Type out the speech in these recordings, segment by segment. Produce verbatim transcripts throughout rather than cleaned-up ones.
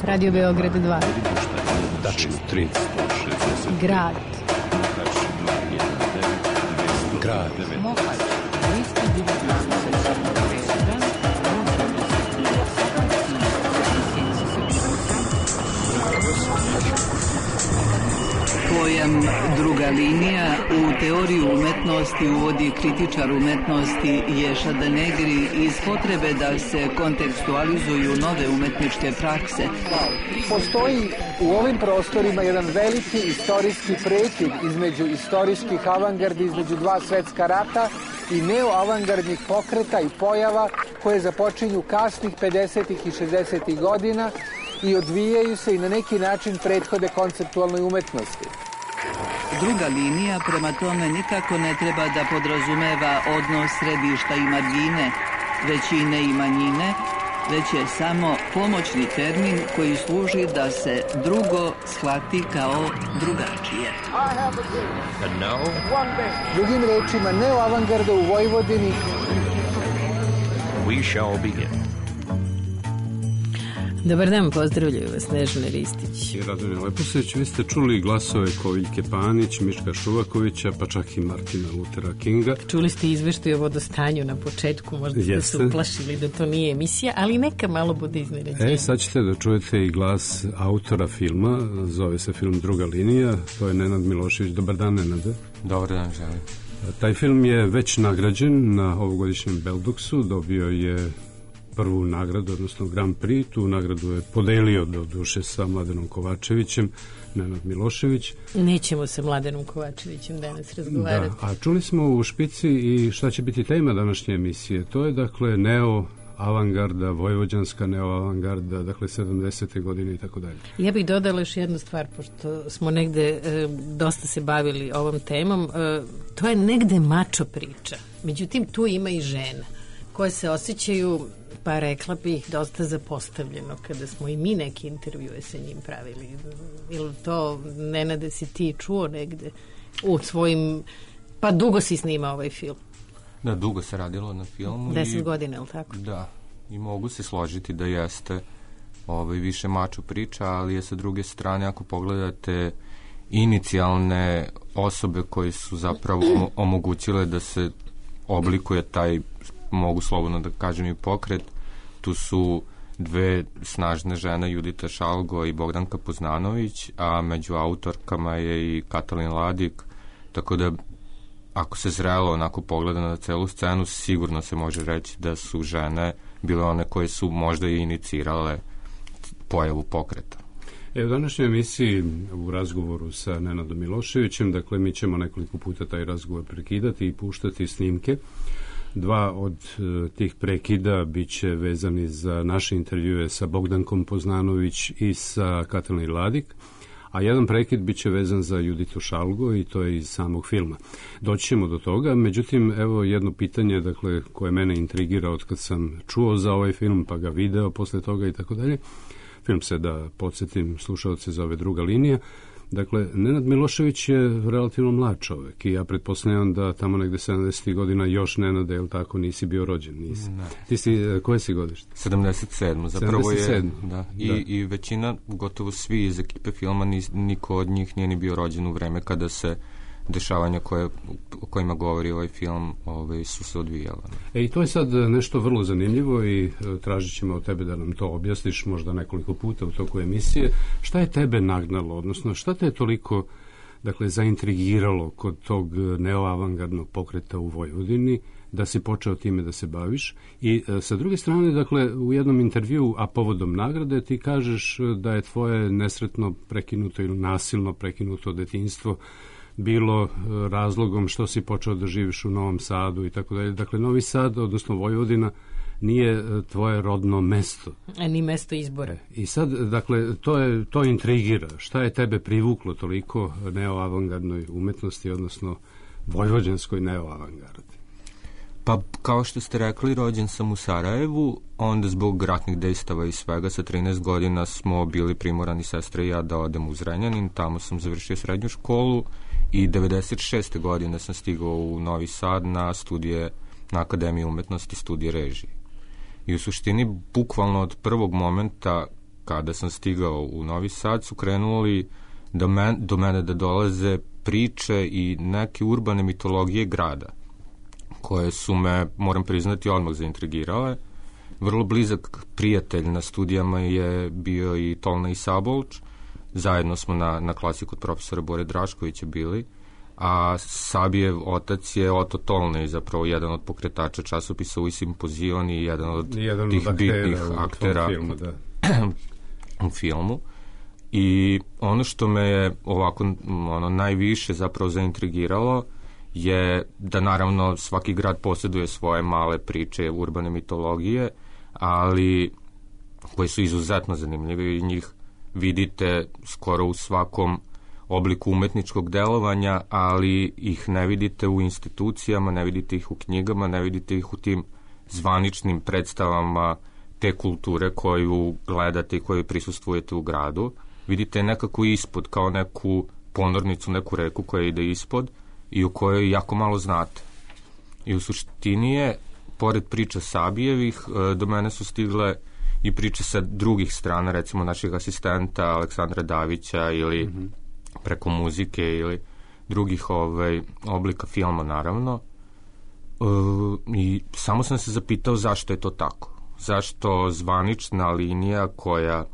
Radio Beograd dva. Tačno tri. Grad. Grad. Pojam druga linija u teoriju umetnosti uvodi kritičar umetnosti Ješa Danegri iz potrebe da se kontekstualizuju nove umetničke prakse. Postoji u ovim prostorima jedan veliki istorijski prekid između istorijskih avangardi, između dva svetska rata i neoavangardnih pokreta i pojava koje započinju kasnih pedesetih i šezdesetih godina i odvijaju se i na neki način prethode konceptualnoj umetnosti. Druga linija prema tome nikako ne treba da podrazumeva odnos središta i margine, većine i manjine, već je samo pomoćni termin koji služi da se drugo shvati kao drugačije. Drugim rečima, neoavangarda u Vojvodini. We shall begin. Dobar dan, pozdravljaju vas Snežana Ristić i Radomir Leposeć. Vi ste čuli glasove Koviljke Panić, Miška Šuvakovića, pa čak i Martina Luthera Kinga. Čuli ste izveštaj o vodostanju na početku, možda ste Jeste. se uplašili da to nije emisija, ali neka malo bude iznenađenje. E, sad ćete da čujete i glas autora filma, zove se film Druga linija, to je Nenad Milošević. Dobar dan, Nenade. Dobar dan, želim. Taj film je već nagrađen na ovogodišnjem Belduksu, dobio je prvu nagradu, odnosno Grand Prix. Tu nagradu je podelio do duše sa Mladenom Kovačevićem, Nenad Milošević. Nećemo sa Mladenom Kovačevićem danas razgovarati. Da, a čuli smo u špici i šta će biti tema današnje emisije. To je dakle neo avangarda, vojvođanska neoavangarda, dakle sedamdesete godine i tako dalje. Ja bih dodala još jednu stvar, pošto smo negde e, dosta se bavili ovom temom. E, to je negde mačo priča. Međutim, tu ima i žena koje se osjećaju, pa rekla bih, dosta zapostavljeno kada smo i mi neki intervjue sa njim pravili. Ili to, Nenade, si ti čuo negde u svojim, pa dugo si snimao ovaj film? Da, dugo se radilo na filmu. Deset i, godina, je li tako? Da, i mogu se složiti da jeste ovaj, više mačo priča, ali je sa druge strane, ako pogledate inicijalne osobe koje su zapravo omogućile da se oblikuje taj, mogu slobodno da kažem, i pokret. Tu su dve snažne žene, Judita Šalgo i Bogdanka Poznanović, a među autorkama je i Katalin Ladik, tako da ako se zrelo onako pogleda na celu scenu, sigurno se može reći da su žene bile one koje su možda i inicirale pojavu pokreta. E, u današnjoj emisiji u razgovoru sa Nenadom Miloševićem, dakle mi ćemo nekoliko puta taj razgovor prekidati i puštati snimke. Dva od e, tih prekida bit će vezani za naše intervjue sa Bogdankom Poznanović i sa Katalin Ladik, a jedan prekid bit će vezan za Juditu Šalgo i to je iz samog filma. Doći ćemo do toga, međutim, evo jedno pitanje, dakle, koje mene intrigira od kad sam čuo za ovaj film, pa ga video posle toga i tako dalje. Film se, da podsjetim slušalce, zove Druga linija. Dakle, Nenad Milošević je relativno mlad čovek i ja pretpostavljam da tamo negde sedamdesetih godina još, Nenade, je li tako, nisi bio rođen? Nisi. Ne. Ti si, koje si godište? sedamdeset sedam Zapravo je, sedamdeset sedam da, i, da. i većina, gotovo svi iz ekipe filma, nis, niko od njih nije ni bio rođen u vreme kada se dešavanja koje, o kojima govori ovaj film ovaj, su se odvijala. E, i to je sad nešto vrlo zanimljivo i e, tražit ćemo od tebe da nam to objasniš možda nekoliko puta u toku emisije. Šta je tebe nagnalo, odnosno šta te je toliko, dakle, zaintrigiralo kod tog neoavangardnog pokreta u Vojvodini, da si počeo time da se baviš? I e, sa druge strane, dakle, u jednom intervju, a povodom nagrade, ti kažeš da je tvoje nesretno prekinuto ili nasilno prekinuto detinjstvo bilo razlogom što si počeo da živiš u Novom Sadu i tako dalje. Dakle, Novi Sad, odnosno Vojvodina, nije tvoje rodno mesto. A ni mesto izbora. I sad, dakle, to je, to intrigira. Šta je tebe privuklo toliko neoavangardnoj umetnosti, odnosno vojvođanskoj neoavangardi? Pa, kao što ste rekli, rođen sam u Sarajevu, onda zbog ratnih dejstava i svega sa trinaest godina smo bili primorani, sestre i ja, da odem u Zrenjanin, tamo sam završio srednju školu i devedeset šeste godine sam stigao u Novi Sad na studije, na Akademiji umetnosti, studije režije. I u suštini, bukvalno od prvog momenta kada sam stigao u Novi Sad, su krenuli do, men, do mene da dolaze priče i neke urbane mitologije grada, koje su me, moram priznati, odmah zaintrigirale. Vrlo blizak prijatelj na studijama je bio i Tolna Isabolč. Zajedno smo na, na klasi kod profesora Bore Draškovića bili, a Sabijev otac je Oto Tolnej, zapravo jedan od pokretača časopisa U Simpozion i jedan od jedan tih od bitnih aktera, aktera u filmu, da. u filmu. I ono što me je ovako ono, najviše zapravo zaintrigiralo je da naravno svaki grad posjeduje svoje male priče, urbane mitologije, ali koje su izuzetno zanimljive i njih vidite skoro u svakom obliku umetničkog delovanja, ali ih ne vidite u institucijama, ne vidite ih u knjigama, ne vidite ih u tim zvaničnim predstavama te kulture koju gledate i koju prisustvujete u gradu. Vidite nekako ispod, kao neku ponornicu, neku reku koja ide ispod i u kojoj jako malo znate. I u suštini je, pored priča Sabijevih, do mene su stigle i priče sa drugih strana, recimo naših asistenta Aleksandra Davića ili mm-hmm. preko muzike ili drugih ovaj, oblika filma, naravno. E, I samo sam se zapitao zašto je to tako. Zašto zvanična linija koja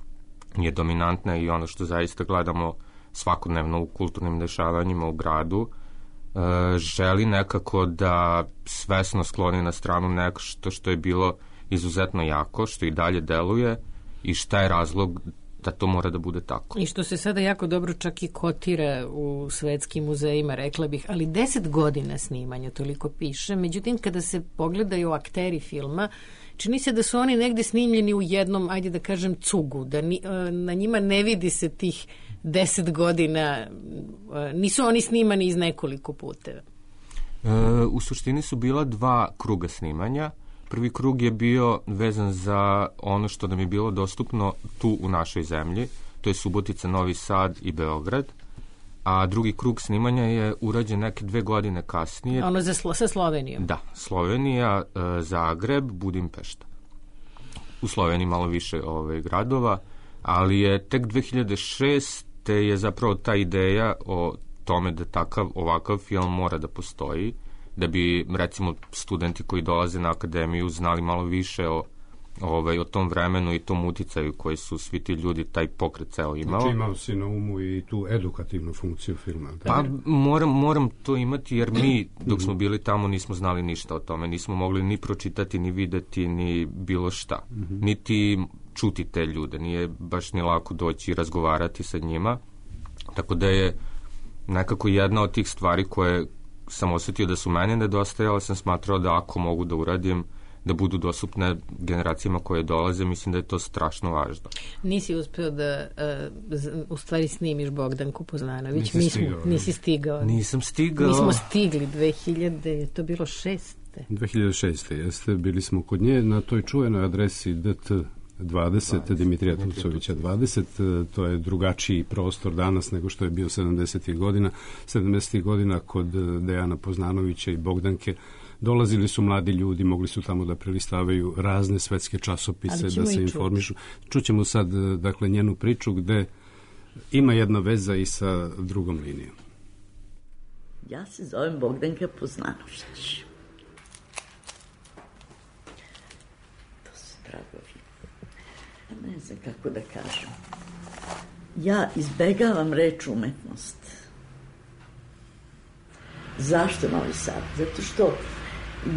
je dominantna i ono što zaista gledamo svakodnevno u kulturnim dešavanjima u gradu, e, želi nekako da svesno skloni na stranu nešto što je bilo izuzetno jako, što i dalje deluje i šta je razlog da to mora da bude tako. I što se sada jako dobro čak i kotira u svetskim muzejima, rekla bih, ali deset godina snimanja, toliko piše. Međutim, kada se pogledaju akteri filma, čini se da su oni negde snimljeni u jednom, ajde da kažem, cugu, da ni, na njima ne vidi se tih deset godina, nisu oni snimani iz nekoliko puteva. E, u suštini su bila dva kruga snimanja. Prvi krug je bio vezan za ono što nam je bilo dostupno tu u našoj zemlji, to je Subotica, Novi Sad i Beograd, a drugi krug snimanja je urađen neke dve godine kasnije. Ono za slo, sa Slovenijom? Da, Slovenija, Zagreb, Budimpešta. U Sloveniji malo više ove, gradova, ali je tek dve hiljade šeste je zapravo ta ideja o tome da takav, ovakav film mora da postoji, da bi, recimo, studenti koji dolaze na akademiju znali malo više o, ovaj, o tom vremenu i tom uticaju koji su svi ti ljudi, taj pokret ceo imao. Znači imao si na umu i tu edukativnu funkciju filma. Pa moram, moram to imati jer mi, dok smo bili tamo, nismo znali ništa o tome. Nismo mogli ni pročitati, ni videti, ni bilo šta. Niti čuti te ljude. Nije baš ni lako doći i razgovarati sa njima. Tako da je nekako jedna od tih stvari koje sam osjetio da su meni nedostajale, sam smatrao da ako mogu da uradim, da budu dostupne generacijama koje dolaze, mislim da je to strašno važno. Nisi uspeo da uh, u stvari snimiš Bogdanku Poznanović? Nisi Mi stigao. Smo, nisi stigao. Nisam stigao. Mi smo stigli dve hiljade, je to bilo šeste? dve hiljade šeste jeste, bili smo kod nje na toj čuvenoj adresi D T dvadeset, Dimitrija Tucovića dvadeset, to je drugačiji prostor danas nego što je bio sedamdesetih godina. sedamdesetih godina kod Dejana Poznanovića i Bogdanke dolazili su mladi ljudi, mogli su tamo da prelistavaju razne svetske časopise, da se informišu. Čućemo sad, dakle, njenu priču gde ima jedna veza i sa drugom linijom. Ja se zovem Bogdanka Poznanović. To su dragovi. Ne znam kako da kažem. Ja izbegavam reč umetnost. Zašto Novi Sad? Zato što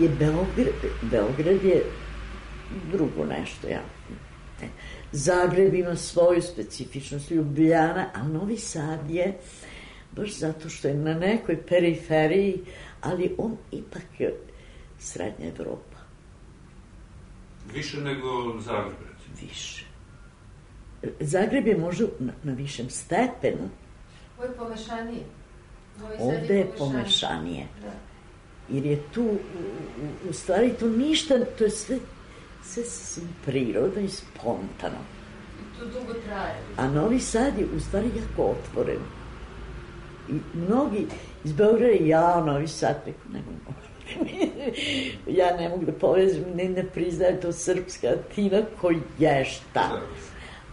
je Beograd, Beograd je drugo nešto. Ja. Zagreb ima svoju specifičnost, Ljubljana, a Novi Sad je baš zato što je na nekoj periferiji, ali on ipak je srednja Evropa. Više nego Zagreb, recimo. Više. Zagreb je možda na, na višem stepenu. Ovo je pomešanije. Ovde je pomešanije. Da. Jer je tu, u, u, u stvari tu ništa, to je sve, sve sasvim prirodno i spontano. I to dugo traje. A Novi Sad je u stvari jako otvoren. I mnogi iz Beograda, ja, Novi Sad, neko ne mogu. Ja ne mogu da povezim, ne, ne priznaje to srpska tina koji je šta.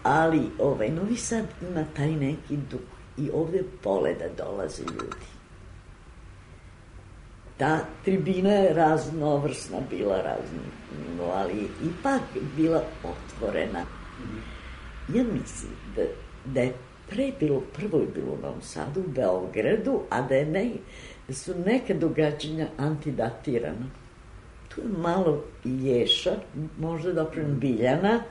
Ali ovaj, Novi Sad ima taj neki duh i ovde vole da dolaze ljudi. Ta tribina je raznovrsna bila, razno, ali ipak bila otvorena. Ja mislim da, da je pre bilo, prvo je bilo u Novom Sadu, u Beogradu, a da, je ne, da su neka događanja antidatirana. Tu je malo Ješa, možda doprem Biljana,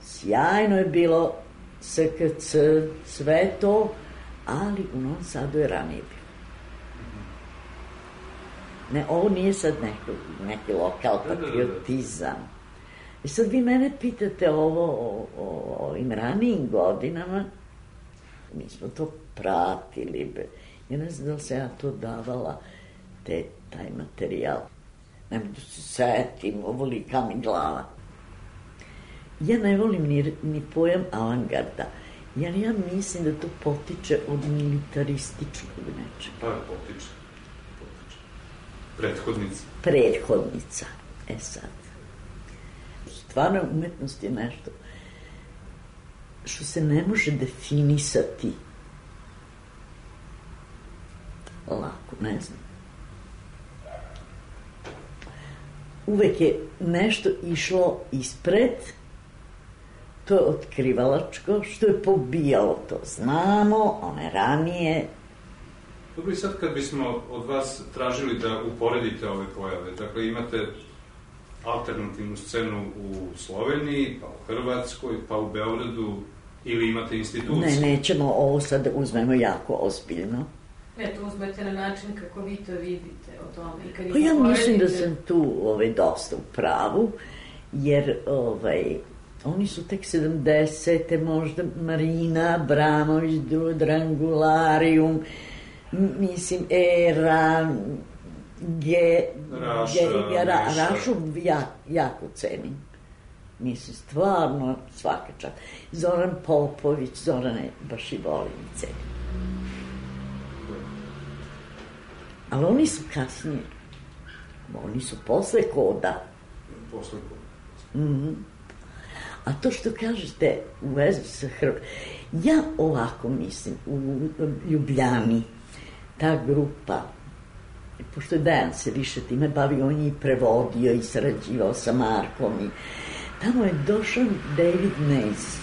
sjajno je bilo S K C, sve to, ali u Novom Sadu je ranije bilo. Ne, ovo nije sad neko, neki lokal patriotizam. I sad vi mene pitate ovo o, o, o ovim ranijim godinama, mi smo to pratili. Be. Ja ne znam da li se ja to davala, te, taj materijal. Ne mogu da se setim, ovolika mi glava. Ja ne volim ni, ni pojam avangarda, jer ja mislim da to potiče od militarističkog nečega. Pa, potiče. potiče. Prethodnica. Prethodnica. E sad. Stvarno umetnost je nešto što se ne može definisati lako, ne znam. Uvek je nešto išlo ispred, to je otkrivalačko, što je pobijalo, to znamo, one ranije. Dobro, i sad kad bismo od vas tražili da uporedite ove pojave, dakle imate alternativnu scenu u Sloveniji, pa u Hrvatskoj, pa u Beogradu, ili imate institucije? Ne, nećemo ovo sad da uzmemo jako ozbiljno. Ne, to uzmete na način kako vi to vidite o tome. I kad pa ja mislim da sam tu ovaj, dosta u pravu, jer ovaj, oni su tek sedamdesete, možda Marina Abramović, Drangularium, mislim, Era, Ge, Raša, Ge, ra, Miša. Rašu ja, jako cenim. Mislim, stvarno svaka čast. Zoran Popović, Zorane baš i volim i cenim. Ali oni su kasnije. Oni su posle Koda. Posle Koda. Mm-hmm. A to što kažete u vezu sa Hrvatskom, ja ovako mislim, u Ljubljani, ta grupa, pošto je Dejan se više time bavio, on je i prevodio i sarađivao sa Markom i tamo je došao David Mays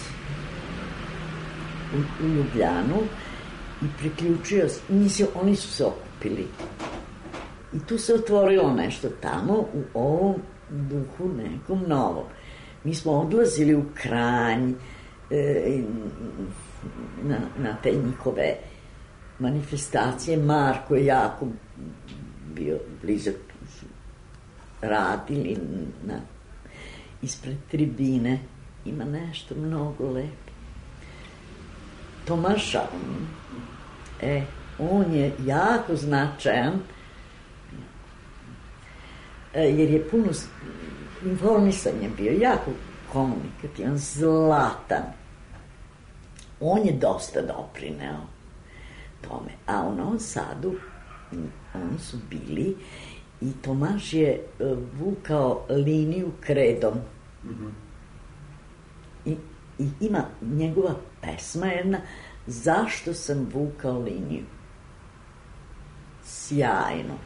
u, u Ljubljanu i priključio, mislim, oni su se okupili i tu se otvorilo nešto tamo u ovom duhu nekom novom. Mi smo odlazili u Kranj e, na, na te njihove manifestacije. Marko je jako bio blizak, radili na, ispred tribine. Ima nešto mnogo lepo. Tomaša, e, on je jako značajan, jer je puno informisanje bio, jako komunikativan, zlatan. On je dosta doprineo tome. A u Novom Sadu oni su bili i Tomaš je vukao liniju kredom. Mm-hmm. I, I ima njegova pesma jedna, zašto sam vukao liniju. Sjajno.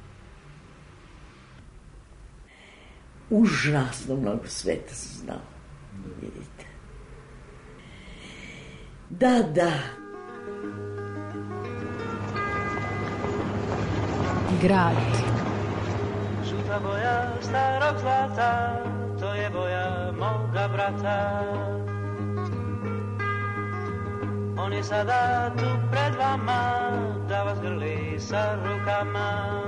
Užasno mnogo sveta sam znao. Vidite. Da, da. Grad. Žuta boja starog zlata, to je boja moga brata. On je sada tu pred vama, da vas grli sa rukama.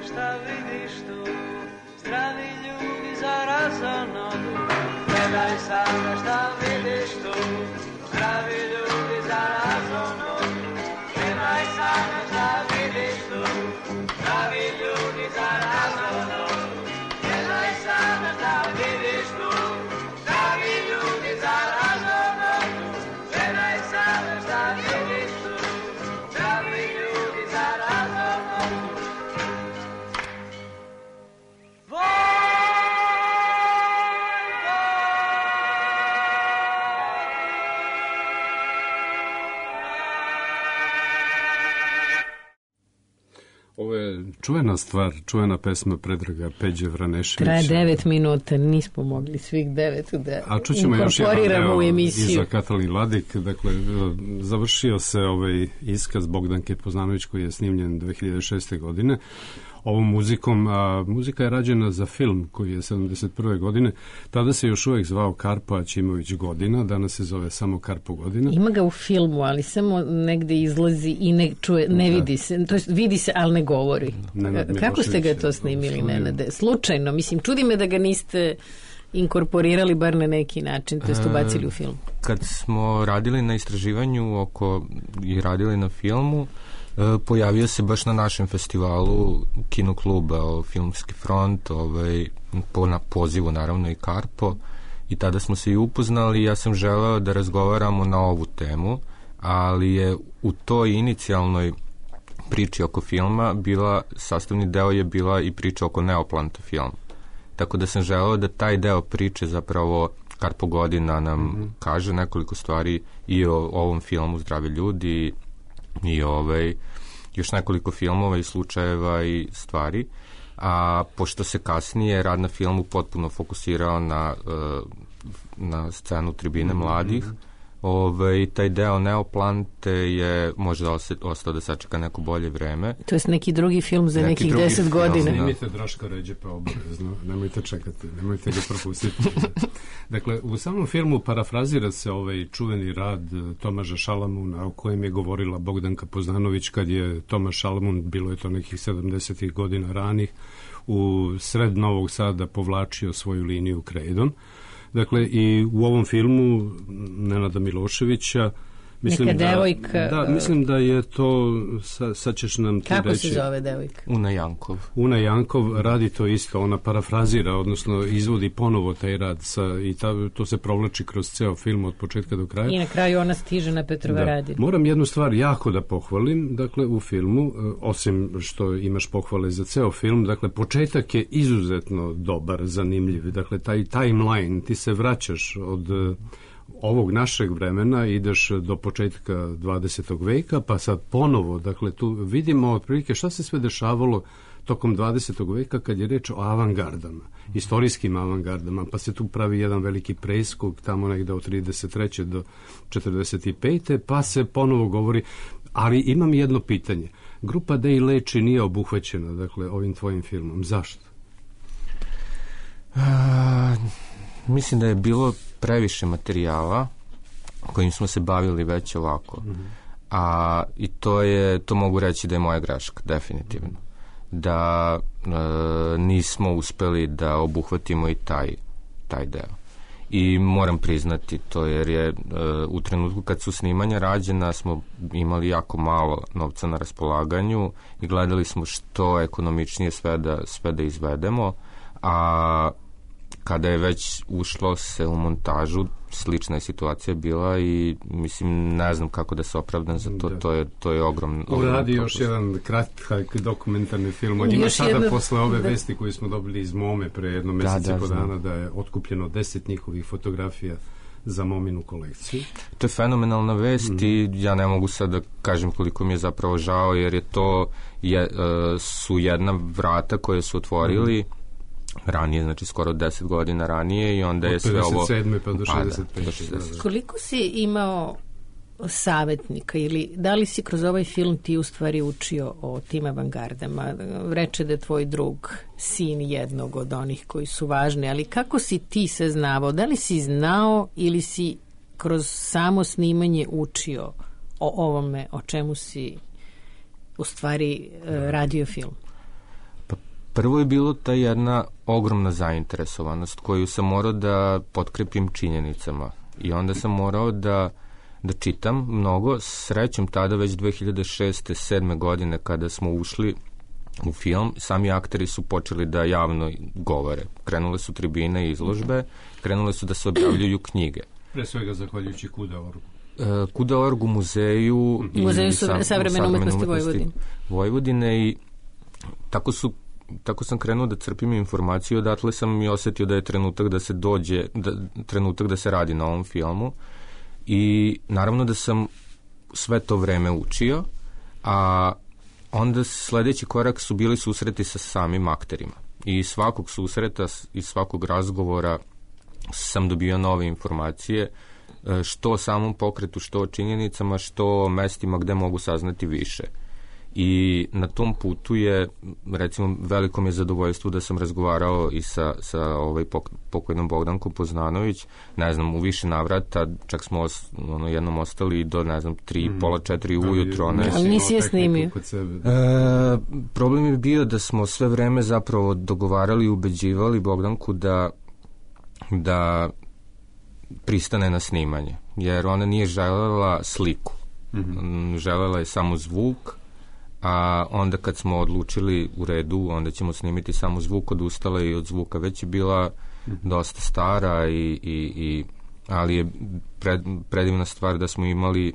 šta vidiš tu, zdravi ljudi za razonodu. Gledaj sada šta vidiš tu, zdravi ljudi za razonodu. Gledaj sada šta vidiš tu, zdravi ljudi za razonodu. Gledaj sada šta vidiš tu, zdravi ljudi za razonodu. Gledaj sada šta vidiš tu, zdravi ljudi za razonodu. Ovo je čuvena stvar, čuvena pesma Predraga Peđe Vraneševića. Traje devet minuta, nismo mogli svih devet da A čućemo još jedan inkorporiramo u deo emisiju. iza Katalin Ladik. Dakle, završio se ovaj iskaz Bogdanke Poznanović koji je snimljen dve hiljade šeste. godine ovom muzikom, a muzika je rađena za film koji je sedamdeset prve. godine. Tada se još uvek zvao Karpo Aćimović Godina, danas se zove samo Karpo Godina. Ima ga u filmu, ali samo negde izlazi i ne čuje, ne vidi se, to jest vidi se, ali ne govori. Nenad Kako ste ga to Milošević je snimili, snimio. Nenade? Slučajno, mislim, čudi me da ga niste inkorporirali bar na neki način, to jest ubacili u film. Kad smo radili na istraživanju oko i radili na filmu, e, pojavio se baš na našem festivalu Kino kluba Filmski front, ovaj, po na pozivu naravno i Karpo, i tada smo se i upoznali. Ja sam želeo da razgovaramo na ovu temu, ali je u toj inicijalnoj priči oko filma bila, sastavni deo je bila i priča oko Neoplanta filma. Tako da sam želeo da taj deo priče zapravo Karpo Godina nam mm-hmm. kaže nekoliko stvari i o ovom filmu Zdravi ljudi i ovaj, još nekoliko filmova i slučajeva i stvari. A pošto se kasnije rad na filmu potpuno fokusirao na, na scenu Tribine mladih, Ove, taj deo Neoplante je možda ostao da sačeka neko bolje vreme. To je neki drugi film za neki nekih deset godina. Snimite Draška Ređepa obavezno, nemojte čekati, nemojte ga propustiti. Dakle, u samom filmu parafrazira se ovaj čuveni rad Tomaža Šalamuna o kojem je govorila Bogdanka Poznanović kad je Tomaš Šalamun, bilo je to nekih sedamdesetih godina ranih, u sred Novog Sada povlačio svoju liniju krejdom. Dakle, i u ovom filmu Nenada Miloševića mislim neka da, devojka... Da, mislim da je to, sa, sad ćeš nam ti Kako reći... se zove devojka? Una Jankov. Una Jankov radi to isto, ona parafrazira, odnosno izvodi ponovo taj rad sa, i ta, to se provlači kroz ceo film od početka do kraja. I na kraju ona stiže na Petrovaradin. Da. Moram jednu stvar jako da pohvalim, dakle, u filmu, osim što imaš pohvale za ceo film, dakle, početak je izuzetno dobar, zanimljiv, dakle, taj timeline, ti se vraćaš od ovog našeg vremena, ideš do početka dvadesetog veka, pa sad ponovo, dakle, tu vidimo otprilike šta se sve dešavalo tokom dvadesetog veka kad je reč o avangardama, istorijskim avangardama, pa se tu pravi jedan veliki preskok tamo negde od trideset treće do četrdeset pete pa se ponovo govori, ali imam jedno pitanje. Grupa Dej Leči nije obuhvaćena, dakle, ovim tvojim filmom. Zašto? A, mislim da je bilo previše materijala kojim smo se bavili već ovako. Mm-hmm. A i to je, to mogu reći da je moja greška, definitivno. Da e, nismo uspeli da obuhvatimo i taj, taj deo. I moram priznati to, jer je e, u trenutku kad su snimanja rađena smo imali jako malo novca na raspolaganju i gledali smo što ekonomičnije sve da, sve da izvedemo, a kada je već ušlo se u montažu, slična je situacija bila i mislim, ne znam kako da se opravdam za to, da. to je, to je ogrom... Uradi još jedan kratak dokumentarni film. On ima sada jedna... posle ove da. vesti koje smo dobili iz Mome pre jedno mesec i da, po dana da je otkupljeno deset njihovih fotografija za Mominu kolekciju. To je fenomenalna vest mm. i ja ne mogu sad da kažem koliko mi je zapravo žao, jer je to je, uh, su jedna vrata koje su otvorili mm. ranije, znači skoro deset godina ranije i onda je sve ovo... Od pedeset sedme pa do šezdeset pete. Koliko si imao savjetnika ili da li si kroz ovaj film ti u stvari učio o tim avangardama? Reče da je tvoj drug sin jednog od onih koji su važni, ali kako si ti se znao? Da li si znao ili si kroz samo snimanje učio o ovome o čemu si u stvari radio film? Pa Prvo je bilo ta jedna ogromna zainteresovanost koju sam morao da potkrepim činjenicama i onda sam morao da, da čitam mnogo. Srećom tada već dve hiljade šeste sedme godine kada smo ušli u film, sami akteri su počeli da javno govore. Krenule su tribine i izložbe, krenule su da se objavljuju knjige. Pre svega zahvaljujući Kuda Orgu. Kuda Orgu, muzeju i Muzeju savremene umetnosti Vojvodine. Vojvodine i tako su tako sam krenuo da crpim informaciju, odatle sam i osetio da je trenutak da se dođe, da, trenutak da se radi na ovom filmu i naravno da sam sve to vreme učio, a onda sledeći korak su bili susreti sa samim akterima i svakog susreta i svakog razgovora sam dobio nove informacije, što o samom pokretu, što o činjenicama, što o mestima gde mogu saznati više. I na tom putu je, recimo, veliko mi je zadovoljstvo da sam razgovarao i sa, sa ovaj pok, pokojnom Bogdankom Poznanović, ne znam, u više navrata, čak smo os, ono, jednom ostali do, ne znam, tri, mm. pola, četiri ujutro. Ne, ali nisi je snimio. E, problem je bio da smo sve vreme zapravo dogovarali i ubeđivali Bogdanku da, da pristane na snimanje, jer ona nije želela sliku. Mm-hmm. Želela je samo zvuk, a onda kad smo odlučili u redu, onda ćemo snimiti samo zvuk, odustala i od zvuka. Već je bila dosta stara, i, i, i, ali je pred, predivna stvar da smo imali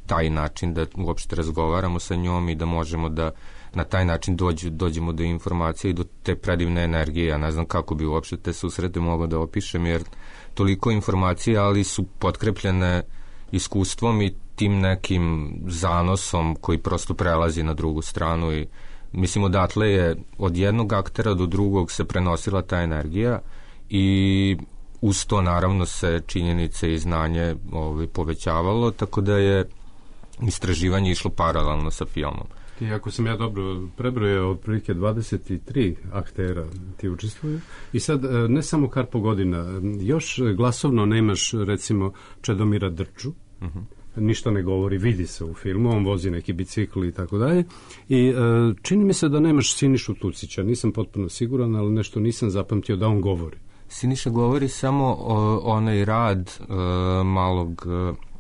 taj način da uopšte razgovaramo sa njom i da možemo da na taj način dođu, dođemo do informacije i do te predivne energije. Ja ne znam kako bi uopšte te susrete mogao da opišem, jer toliko informacije, ali su potkrepljene iskustvom i tim nekim zanosom koji prosto prelazi na drugu stranu i mislim odatle je od jednog aktera do drugog se prenosila ta energija i uz to naravno se činjenice i znanje ovaj, povećavalo, tako da je istraživanje išlo paralelno sa filmom. I ako sam ja dobro prebrojao, otprilike dvadeset tri aktera ti učestvuju i sad ne samo Karpo godina, još glasovno nemaš recimo Čedomira Drču, uh-huh. ništa ne govori, vidi se u filmu, on vozi neki bicikl i tako dalje i e, čini mi se da nemaš Sinišu Tucića, nisam potpuno siguran, ali nešto nisam zapamtio da on govori. Siniša govori samo o, onaj rad e, malog e,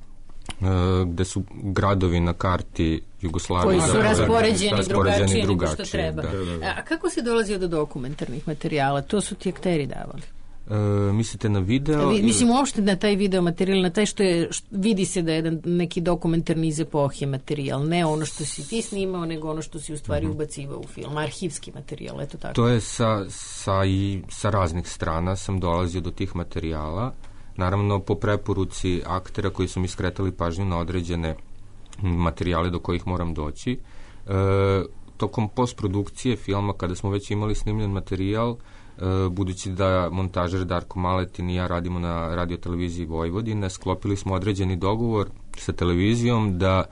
gde su gradovi na karti Jugoslavije. Koji su da, raspoređeni, raspoređeni drugačije nego što treba. Da. Da, da. A kako si dolazio do dokumentarnih materijala? To su ti akteri davali? E, mislite na video? Vi, mislim uopšte na taj video materijal, na taj što je, što, vidi se da je jedan neki dokumentarni iz epohe materijal, ne ono što si ti snimao, nego ono što si u stvari uh-huh. ubacivao u film, arhivski materijal, eto tako. To je sa, sa, i, sa raznih strana sam dolazio do tih materijala, naravno po preporuci aktera koji su mi skretali pažnju na određene materijale do kojih moram doći. E, tokom postprodukcije filma, kada smo već imali snimljen materijal, budući da montažer Darko Maletin i ja radimo na radioteleviziji Vojvodine, sklopili smo određeni dogovor sa televizijom da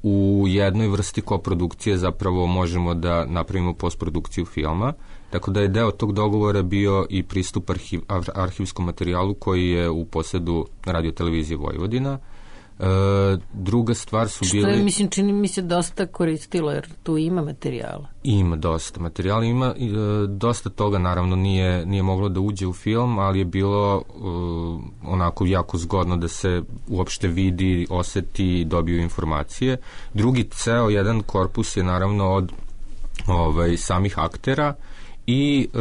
u jednoj vrsti koprodukcije zapravo možemo da napravimo postprodukciju filma, tako da je deo tog dogovora bio i pristup arhiv, arhivskom materijalu koji je u posedu radiotelevizije Vojvodina. E, druga stvar su bili... Što je, mislim, čini mi se dosta koristilo, jer tu ima materijala. Ima dosta materijala, ima e, dosta toga, naravno, nije, nije moglo da uđe u film, ali je bilo e, onako jako zgodno da se uopšte vidi, oseti i dobiju informacije. Drugi ceo, jedan korpus je naravno od ovaj, samih aktera i e,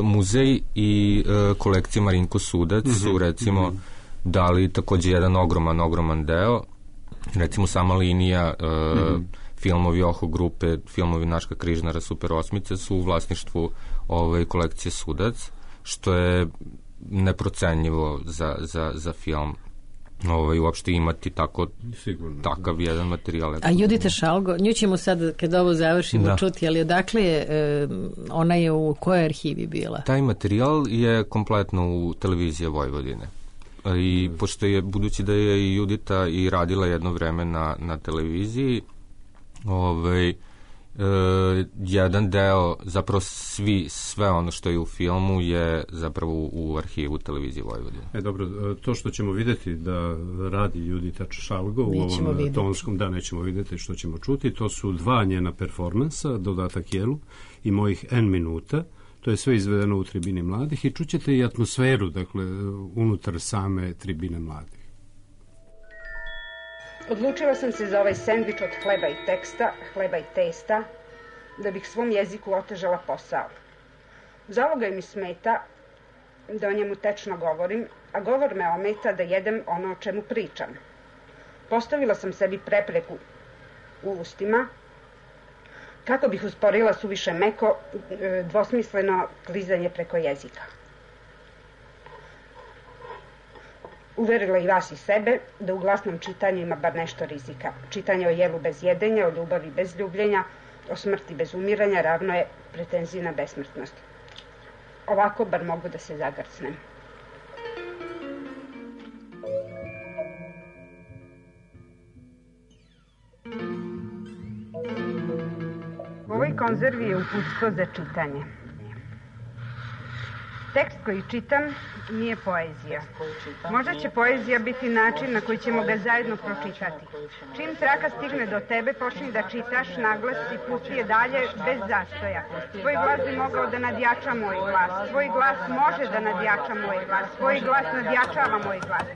muzej i e, kolekcija Marinko Sudac mm-hmm. su, recimo, mm-hmm. dali takođe jedan ogroman, ogroman deo. Recimo sama linija e, mm-hmm. filmovi Oho grupe, filmovi Naška Križnara, Super osmice su u vlasništvu ove kolekcije Sudac, što je neprocenjivo za, za, za film ovaj, uopšte imati tako, sigurno, takav jedan materijal. A Judita Šalgo, nju ćemo sad, kad ovo završimo, da. čuti, ali odakle je, e, ona je u kojoj arhivi bila? Taj materijal je kompletno u televiziji Vojvodine. I pošto je, budući da je i Judita i radila jedno vreme na, na televiziji, ovaj, jedan deo, zapravo svi, sve ono što je u filmu je zapravo u arhivu televizije Vojvodine. E, dobro, to što ćemo vidjeti da radi Judita Šalgo u ovom vidjeti. tonskom, da, nećemo vidjeti što ćemo čuti, to su dva njena performansa, Dodatak jelu i Mojih N minuta. To je sve izvedeno u Tribini mladih i čućete i atmosferu, dakle, unutar same Tribine mladih. Odlučila sam se za ovaj sendvič od hleba i teksta, hleba i testa, da bih svom jeziku otežala posao. Zalogaj mi smeta da o njemu tečno govorim, a govor me ometa da jedem ono o čemu pričam. Postavila sam sebi prepreku u ustima, kako bih usporila suviše meko, dvosmisleno klizanje preko jezika. Uverila i vas i sebe da u glasnom čitanju ima bar nešto rizika. Čitanje o jelu bez jedenja, o ljubavi bez ljubljenja, o smrti bez umiranja ravno je pretenziji na besmrtnost. Ovako bar mogu da se zagrcnem. U ovoj konzervi je uputstvo za čitanje. Tekst koji čitam nije poezija. Možda će poezija biti način na koji ćemo ga zajedno pročitati. Čim traka stigne do tebe, počni da čitaš naglas i pusti je dalje bez zastoja. Tvoj glas bi mogao da nadjača moj glas. Tvoj glas može da nadjača moj glas. Tvoj glas nadjačava moj glas.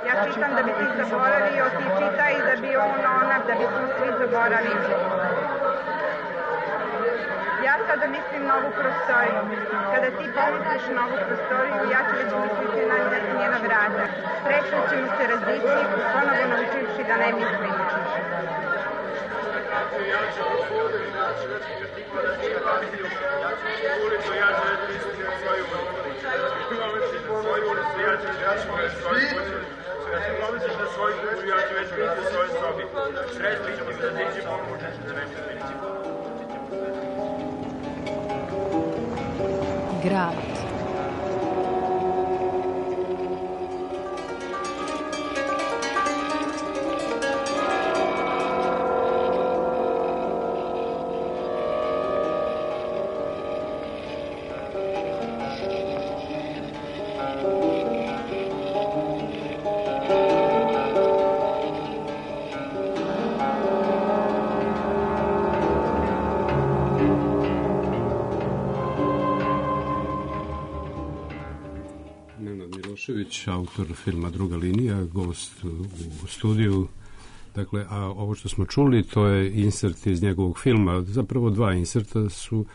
Ja čitam da bi ti zaboravio, ti čitaj da bi on, ona, da bi smo svi zaboravili. Ja sada mislim novu prostoriju. Kada ti pomisliš novu prostoriju, ja ću već misliti na njena vrata. Srećno ćemo se razići, ponovo naučivši da ne mislim. Grad. Autor filma Druga linija, gost u studiju. Dakle, a ovo što smo čuli, to je insert iz njegovog filma. Zapravo dva inserta su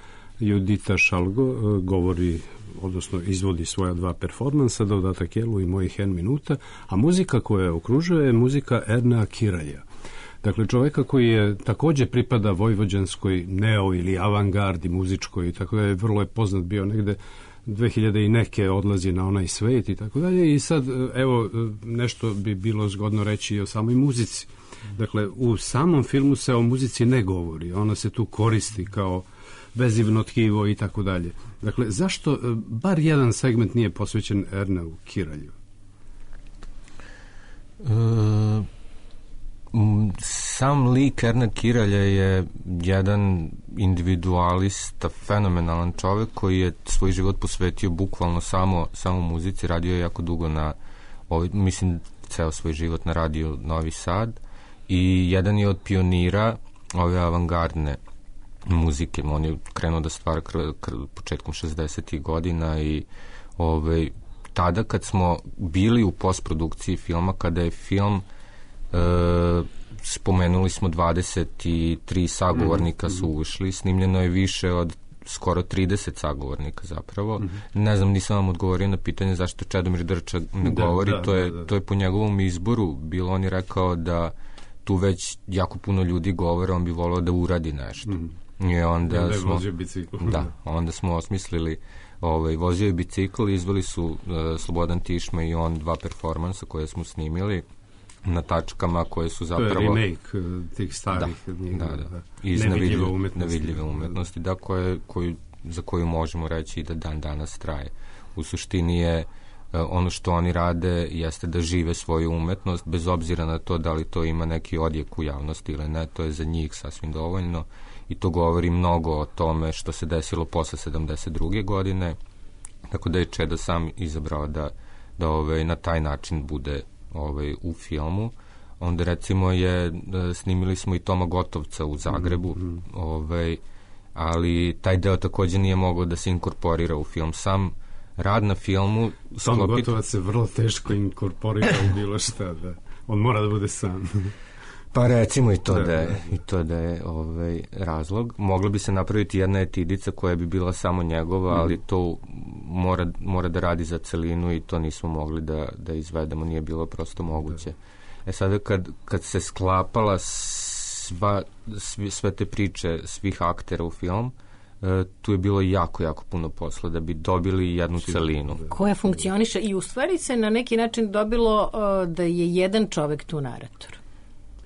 Judita Šalgo govori, odnosno izvodi svoja dva performansa, Dodatak jelu i Mojih N minuta, a muzika koja je okružuje je muzika Ernea Kiraja. Dakle, čoveka koji je također pripada vojvođanskoj neo ili avangardi muzičkoj, tako da je vrlo je poznat bio negde dve hiljade i neke odlazi na onaj svet i tako dalje. I sad, evo, nešto bi bilo zgodno reći i o samoj muzici. Dakle, u samom filmu se o muzici ne govori. Ona se tu koristi kao vezivno tkivo i tako dalje. Dakle, zašto bar jedan segment nije posvećen Erneu Kiralju? E, sam lik Ernea Kiralja je jedan individualista, fenomenalan čovjek koji je svoj život posvetio bukvalno samo, samo muzici. Radio je jako dugo na, ovaj, mislim, ceo svoj život na radio Novi Sad i jedan je od pionira ove avangardne muzike. On je krenuo da stvara kr, kr, početkom šezdesetih godina i ovaj, tada kad smo bili u postprodukciji filma, kada je film e, spomenuli smo dvadeset tri sagovornika su ušli, snimljeno je više od skoro trideset sagovornika zapravo. Mm-hmm. Ne znam, nisam vam odgovorio na pitanje zašto Čedomir Drča ne da, govori, da, to, je, da, da. to je po njegovom izboru bilo. On je rekao da tu već jako puno ljudi govore, on bi volio da uradi nešto. Mm-hmm. I onda ja, smo, da, onda smo osmislili ovaj, vozio je bicikl, izveli su uh, Slobodan Tišma i on dva performansa koje smo snimili na tačkama koje su zapravo... To je remake tih starih... Da, njega, da, da. Iz nevidljive umetnosti. Nevidljive umetnosti, da, koje, koju, za koju možemo reći da dan danas traje. U suštini je ono što oni rade jeste da žive svoju umetnost, bez obzira na to da li to ima neki odjek u javnosti ili ne, to je za njih sasvim dovoljno i to govori mnogo o tome što se desilo posle sedamdeset druge godine, tako da je Čeda sam izabrao da, da ovaj, na taj način bude ovaj, u filmu. Onda recimo je, snimili smo i Toma Gotovca u Zagrebu, mm-hmm. ovaj, ali taj deo takođe nije mogao da se inkorporira u film. Sam rad na filmu... Toma sklopit... Gotovac se vrlo teško inkorporira u bilo šta, da. On mora da bude sam. Pa recimo i to da, da je, i to da je ovaj, razlog. Mogla bi se napraviti jedna etidica koja bi bila samo njegova, mm. ali to mora, mora da radi za celinu i to nismo mogli da, da izvedemo, nije bilo prosto moguće. Da. E sada kad, kad se sklapala sva, svi, sve te priče svih aktera u film, e, tu je bilo jako, jako puno posla da bi dobili jednu celinu. Koja funkcioniše i u stvari se na neki način dobilo uh, da je jedan čovek tu narator.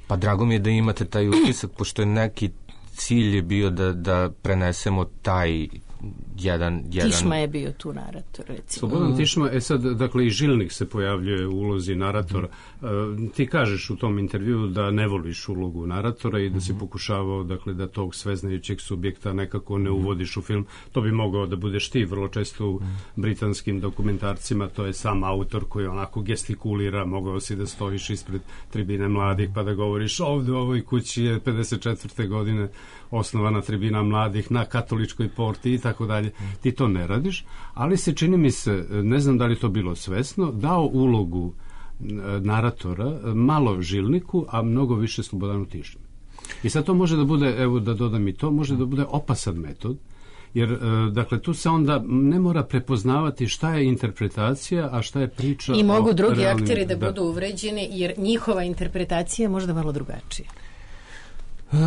Pa drago mi je da imate taj utisak, pošto je neki cilj je bio da, da prenesemo taj jedan... jedan... Tišma je bio tu narator, recimo. Slobodan Tišma, e sad, dakle, i Žilnik se pojavljuje u ulozi naratora. Mm. Uh, ti kažeš u tom intervju da ne voliš ulogu naratora i da mm. si pokušavao, dakle, da tog sveznajućeg subjekta nekako ne uvodiš u film. To bi mogao da budeš ti, vrlo često u mm. britanskim dokumentarcima, to je sam autor koji onako gestikulira, mogao si da stojiš ispred tribine mladih pa da govoriš ovde u ovoj kući je pedeset četvrte godine osnovana tribina mladih na Katoličkoj porti i tako dalje. Ti to ne radiš, ali se čini mi se, ne znam da li to bilo svesno, dao ulogu naratora malo Žilniku, a mnogo više Slobodanu Tišmi. I sad to može da bude, evo da dodam i to, može da bude opasan metod, jer, dakle, tu se onda ne mora prepoznavati šta je interpretacija, a šta je priča. I mogu drugi realnim, akteri da, da budu uvređeni, jer njihova interpretacija je možda malo drugačija. Uh,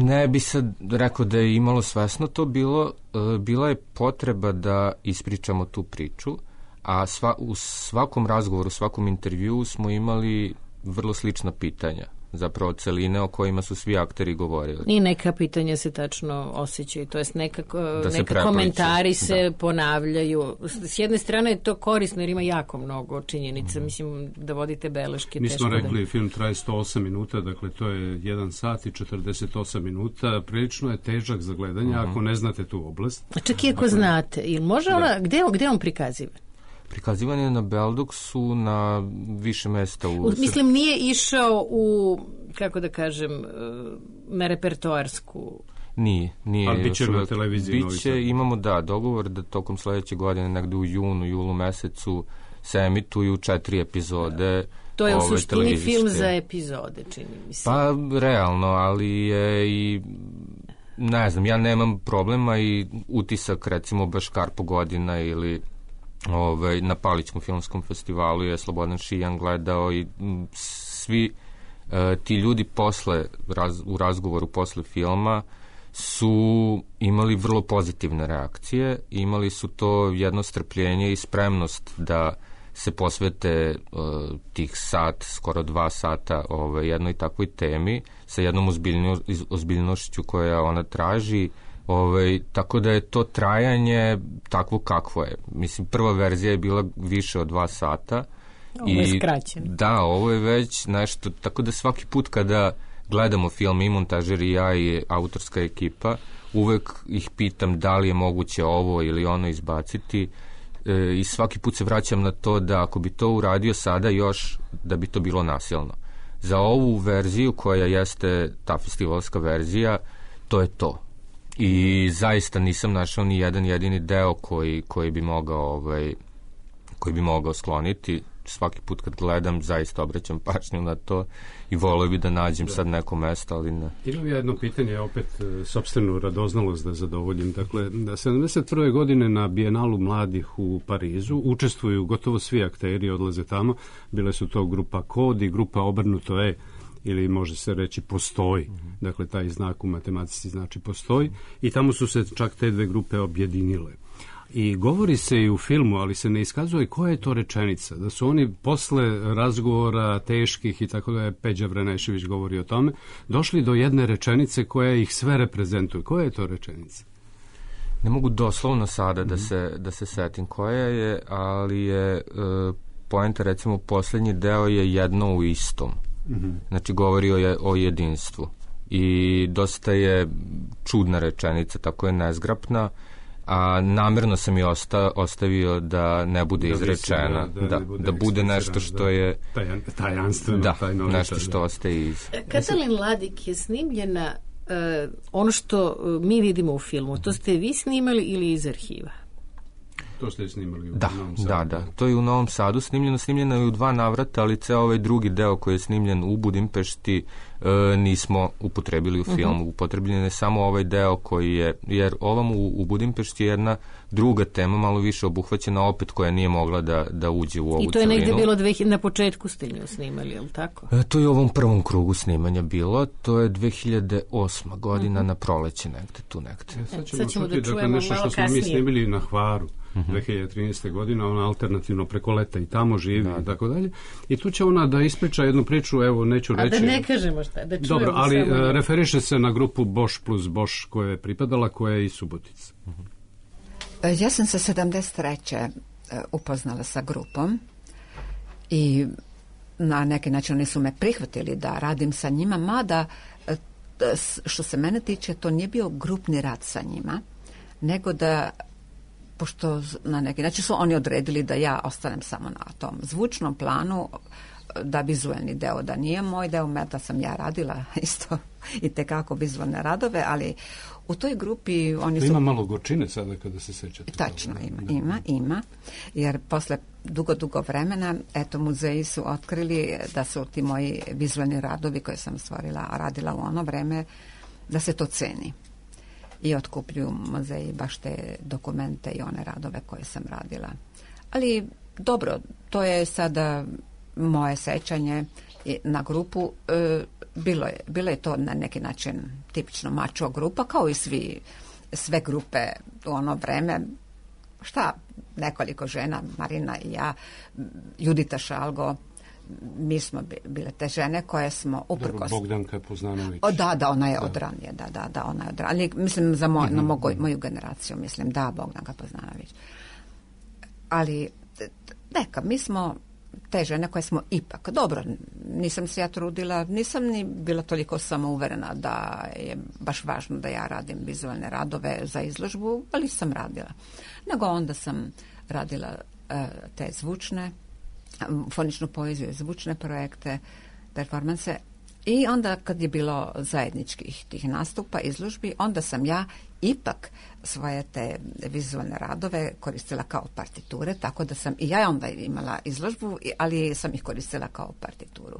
ne bi sad rekao da je imalo svesno to bilo, uh, bila je potreba da ispričamo tu priču, a sva, u svakom razgovoru, u svakom intervjuu smo imali vrlo slična pitanja, zapravo celine o kojima su svi akteri govorili. I neka pitanja se tačno osjećaju, to jest nekako, da neka komentari se da. ponavljaju. S jedne strane je to korisno jer ima jako mnogo činjenica, mm. mislim da vodite beleške. Mi smo rekli, da... film traje sto osam minuta, dakle to je jedan sat i četrdeset osam minuta, prilično je težak za gledanje, mm. ako ne znate tu oblast. A čak i ako, ako znate, ili može da. ona, gde, gde on prikaziva? Prikazivan je na Beldoksu na više mesta u... Mislim, nije išao u, kako da kažem, na repertoarsku... Nije, nije. Ali bit će na televiziji. Biće, imamo, da, dogovor da tokom sledeće godine, negde u junu, julu mesecu, se emituju četiri epizode. To je u suštini film za epizode, čini mi se. Pa, realno, ali je i... Ne znam, ja nemam problema i utisak, recimo, baš Karpo godina ili... Ove, na Palićkom filmskom festivalu je Slobodan Šijan gledao i m, svi e, ti ljudi posle raz, u razgovoru posle filma su imali vrlo pozitivne reakcije, imali su to jedno strpljenje i spremnost da se posvete e, tih sat, skoro dva sata ove, jednoj takvoj temi sa jednom ozbiljno, ozbiljnošću koja ona traži. Ove, tako da je to trajanje takvo kakvo je. Mislim, prva verzija je bila više od dva sata. Ovo je skraćeno. Da, ovo je već nešto, tako da svaki put kada gledamo film i montažer i ja i autorska ekipa, uvek ih pitam da li je moguće ovo ili ono izbaciti e, i svaki put se vraćam na to da ako bi to uradio sada još, da bi to bilo nasilno. Za ovu verziju koja jeste ta festivalska verzija, to je to. I zaista nisam našao ni jedan jedini deo koji, koji bi mogao ovaj, koji bi mogao skloniti. Svaki put kad gledam zaista obraćam pažnju na to i volio bi da nađem da. sad neko mesto, ali ne. Imam jedno pitanje, opet sopstvenu radoznalost da zadovoljim. Dakle, da sedamdeset prve godine na Bijenalu mladih u Parizu učestvuju gotovo svi akteri, odlaze tamo. Bile su to grupa Kod i grupa Obrnuto E, ili može se reći postoji. Mm-hmm. Dakle, taj znak u matematici znači postoji. I tamo su se čak te dve grupe objedinile. I govori se i u filmu, ali se ne iskazuje koja je to rečenica. Da su oni posle razgovora teških i tako da je Peđa Vranešević govori o tome, došli do jedne rečenice koja ih sve reprezentuje. Koja je to rečenica? Ne mogu doslovno sada da se, da se setim koja je, ali je e, poenta, recimo, posljednji deo je jedno u istom. Mm-hmm. Znači, govori o, je, o jedinstvu. I dosta je čudna rečenica, tako je nezgrapna, a namjerno sam i osta, ostavio da ne bude da izrečena, da, da, da, bude, da bude nešto što je taj, tajanstveno, da, tajnovito, nešto što da. Ostaje iz. Katalin Ladik je snimljena uh, ono što uh, mi vidimo u filmu, to ste vi snimali ili iz arhiva? To ste snimali u da, Novom Sadu. Da, da, to je u Novom Sadu snimljeno, snimljeno je u dva navrata, ali ceo ovaj drugi deo koji je snimljen u Budimpešti e, nismo upotrebili u filmu. Uh-huh. Upotrebljen je samo ovaj deo koji je, jer ovam u, u Budimpešti je jedna druga tema, malo više obuhvaćena opet, koja nije mogla da, da uđe u ovu celinu. I to je negde bilo dve, na početku ste nju snimali, je li tako? E, to je u ovom prvom krugu snimanja bilo, to je dve hiljade osma godina uh-huh. na proleće negde, tu negde. E, sad ćemo, sad ćemo čuti, da čujemo nešto što smo mi snimili na Hvaru. Uh-huh. dve hiljade trinaeste. godine, ona alternativno preko leta i tamo živi da, i tako dalje. I tu će ona da ispriča jednu priču, evo, neću A reći. A da ne kažemo šta, da čujemo. Dobro, ali samo... uh, referiše se na grupu Boš plus Boš koja je pripadala, koja je i Subotica. Uh-huh. Ja sam se sedamdeset treće upoznala sa grupom i na neki način oni su me prihvatili da radim sa njima, mada što se mene tiče, to nije bio grupni rad sa njima, nego da pošto na neki način su oni odredili da ja ostanem samo na tom zvučnom planu, da vizualni deo da nije moj deo, da sam ja radila isto i tekako vizualne radove, ali u toj grupi oni to su... Ima malo gorčine sada kada se sećate. Tačno, ima, da. ima, ima, jer posle dugo, dugo vremena, eto, muzeji su otkrili da su ti moji vizualni radovi koje sam stvorila, radila u ono vreme, da se to ceni. I otkupljuju muzeji baš te dokumente i one radove koje sam radila. Ali dobro, to je sada moje sećanje na grupu. E, bilo je, bilo je to na neki način tipično mačo grupa, kao i svi, sve grupe u ono vreme. Šta, nekoliko žena, Marina i ja, Judita Šalgo, mi smo bile te žene koje smo uprkos... Bogdanka Poznanović. O, da, da, ona je da. od ranije, da, da, da, ona je od ranije. Mislim, za moj, mm-hmm. na mogu, moju generaciju, mislim, da, Bogdanka Poznanović. Ali, neka, mi smo te žene koje smo ipak, dobro, nisam se ja trudila, nisam ni bila toliko samouverena da je baš važno da ja radim vizualne radove za izložbu, ali sam radila. Nego onda sam radila uh, te zvučne, foničnu poeziju, zvučne projekte, performanse i onda kad je bilo zajedničkih tih nastupa, izložbi, onda sam ja ipak svoje te vizualne radove koristila kao partiture, tako da sam i ja onda imala izložbu, ali sam ih koristila kao partituru.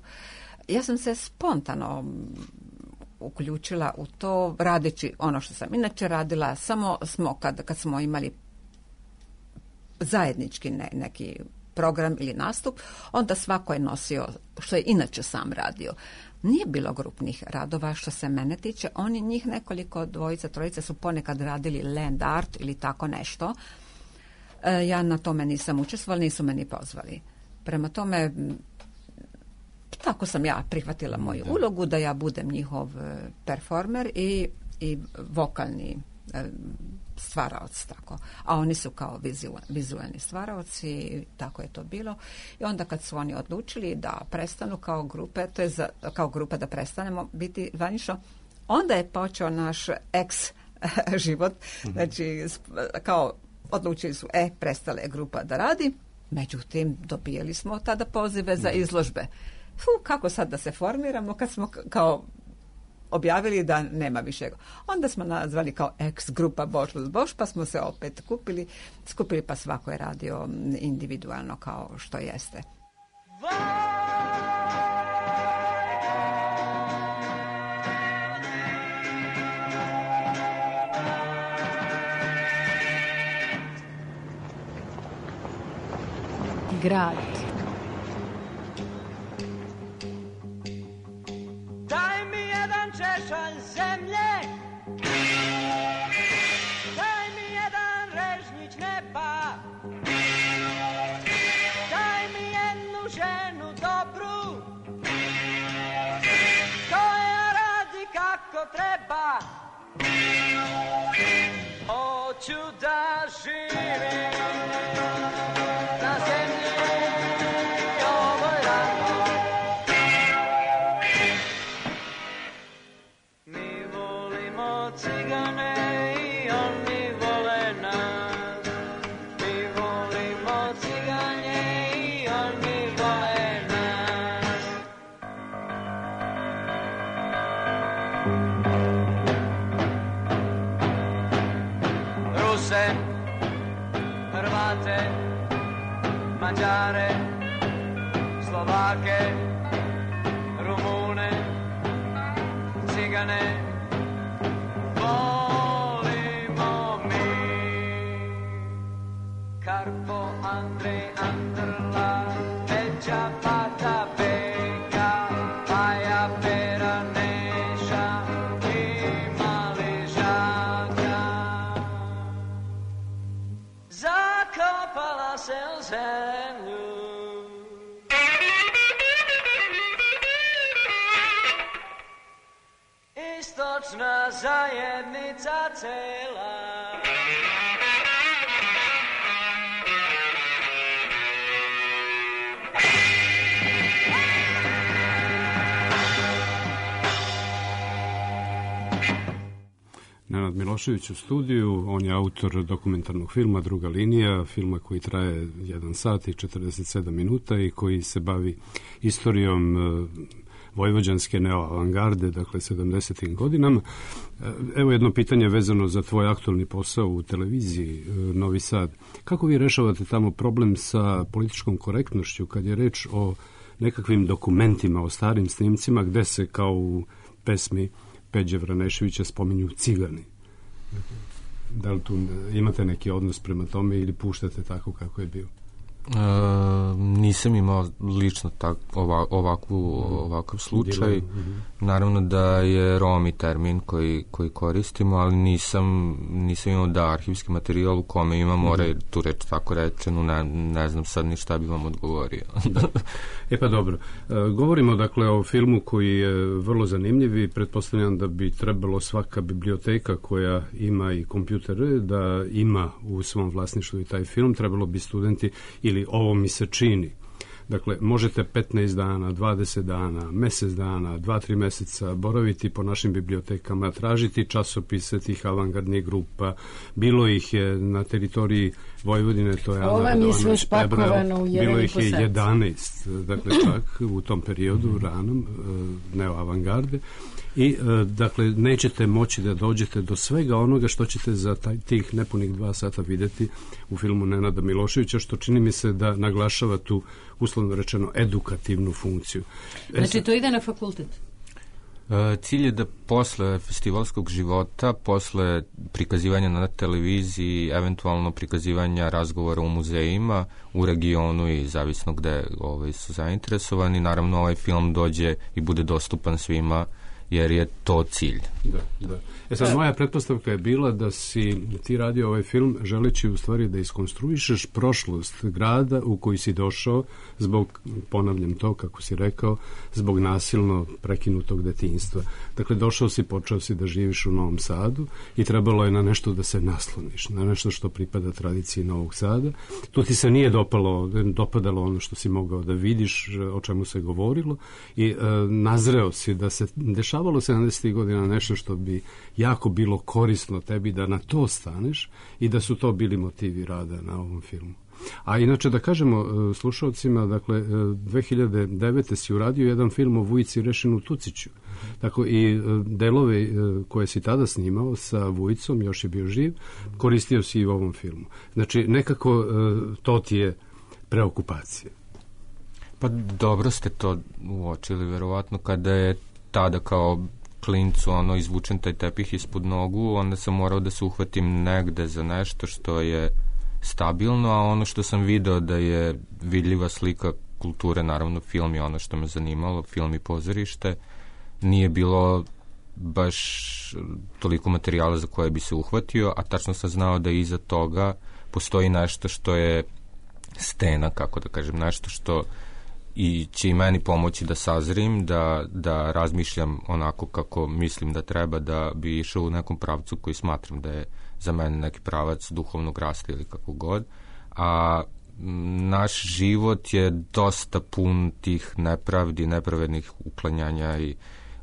Ja sam se spontano uključila u to radeći ono što sam inače radila, samo smo kad, kad smo imali zajednički ne, neki program ili nastup, onda svako je nosio što je inače sam radio. Nije bilo grupnih radova što se mene tiče. Oni, njih nekoliko, dvojica, trojica su ponekad radili land art ili tako nešto. E, ja na tome nisam učestvovala, nisu me ni pozvali. Prema tome, tako sam ja prihvatila moju ulogu da ja budem njihov performer i, i vokalni e, stvaraoc, tako. A oni su kao vizualni stvaraoci i tako je to bilo. I onda kad su oni odlučili da prestanu kao grupe, to je za, kao grupa da prestanemo biti zvanično, onda je počeo naš ex život. Mm-hmm. Znači, kao odlučili su, e, prestala je grupa da radi, međutim, dobijali smo tada pozive za izložbe. Fu, kako sad da se formiramo kad smo kao objavili da nema više. Onda smo nazvali kao ex grupa Boš plus Boš, pa smo se opet kupili, skupili, pa svako je radio individualno kao što jeste. Grad. Češalj zemlje, daj mi jedan režnjić neba, daj mi jednu ženu dobru, koja radi kako treba, Hoću da živim na zemlji ovoj rano. Mi volimo cigane i oni vole nas. Mi volimo cigane i oni vole nas. Ruse, Hrvate, Mađare, Slovake, Rumune, Cigane, volimo mi. Karpo, Andrej, Andrla, Peđa, Pata, Beka, Paja, Pera, Neša i Mali Žaka. Zakopala se u zemlju. Istočna zajednica cela. Nenad Milošević u studiju, on je autor dokumentarnog filma Druga linija, filma koji traje jedan sat i četrdeset sedam minuta i koji se bavi istorijom vojvođanske neoavangarde, dakle sedamdesetim godinama. Evo jedno pitanje vezano za tvoj aktualni posao u televiziji Novi Sad. Kako vi rešavate tamo problem sa političkom korektnošću kad je reč o nekakvim dokumentima, o starim snimcima gde se kao u pesmi Peđe Vraneševića spominju cigani? Da li tu imate neki odnos prema tome ili puštate tako kako je bio? E, nisam imao lično tak, ova, ovakvu, ovakav slučaj. Naravno da je Romi termin koji, koji koristimo, ali nisam, nisam imao da arhivski materijal u kome imamo mm-hmm. tu reč tako rečenu, ne, ne znam sad ni šta bi vam odgovorio. E pa dobro. E, govorimo dakle o filmu koji je vrlo zanimljiv i pretpostavljam da bi trebalo svaka biblioteka koja ima i kompjutere da ima u svom vlasništvu i taj film, trebalo bi studenti ili ovo mi se čini. Dakle, možete petnaest dana, dvadeset dana, mesec dana, dva tri meseca boraviti po našim bibliotekama, tražiti časopise tih avangardnih grupa. Bilo ih je na teritoriji Vojvodine, to je Ova mi je sve špakovano u jedan bilo i ih po je sat. jedanaest, dakle čak u tom periodu ranom neoavangarde. I, dakle, nećete moći da dođete do svega onoga što ćete za taj, tih nepunih dva sata videti u filmu Nenada Miloševića, što čini mi se da naglašava tu, uslovno rečeno, edukativnu funkciju. Znači, to ide na fakultet? E, cilj je da posle festivalskog života, posle prikazivanja na televiziji, eventualno prikazivanja razgovora u muzejima, u regionu i zavisno gde ovaj, su zainteresovani, naravno ovaj film dođe i bude dostupan svima, jer je to cilj. Da, da. E sad, moja pretpostavka je bila da si ti radio ovaj film želeći u stvari da iskonstruišeš prošlost grada u koji si došao zbog, ponavljam to kako si rekao, zbog nasilno prekinutog detinjstva. Dakle, došao si, počeo si da živiš u Novom Sadu i trebalo je na nešto da se nasloniš, na nešto što pripada tradiciji Novog Sada. Tu ti se nije dopalo, dopadalo ono što si mogao da vidiš, o čemu se govorilo i e, nazreo si da se dešavalo sedamdesetih godina nešto što bi jako bilo korisno tebi da na to staneš i da su to bili motivi rada na ovom filmu. A inače da kažemo slušalcima, dakle dve hiljade devete si uradio jedan film o Vujici Rešinu Tuciću. Tako i delove koje si tada snimao sa Vujicom, još je bio živ, koristio si i u ovom filmu. Znači nekako to ti je preokupacija. Pa dobro ste to uočili, verovatno kada je tada kao klincu ono izvučen taj tepih ispod nogu, onda sam morao da se uhvatim negde za nešto što je stabilno, a ono što sam video da je vidljiva slika kulture, naravno film je ono što me zanimalo, film i pozorište, nije bilo baš toliko materijala za koje bi se uhvatio, a tačno sam znao da iza toga postoji nešto što je stena, kako da kažem, nešto što i će i meni pomoći da sazrim, da, da razmišljam onako kako mislim da treba da bi išao u nekom pravcu koji smatram da je za mene neki pravac duhovnog rasta ili kako god, a naš život je dosta pun tih nepravdi, nepravednih uklanjanja i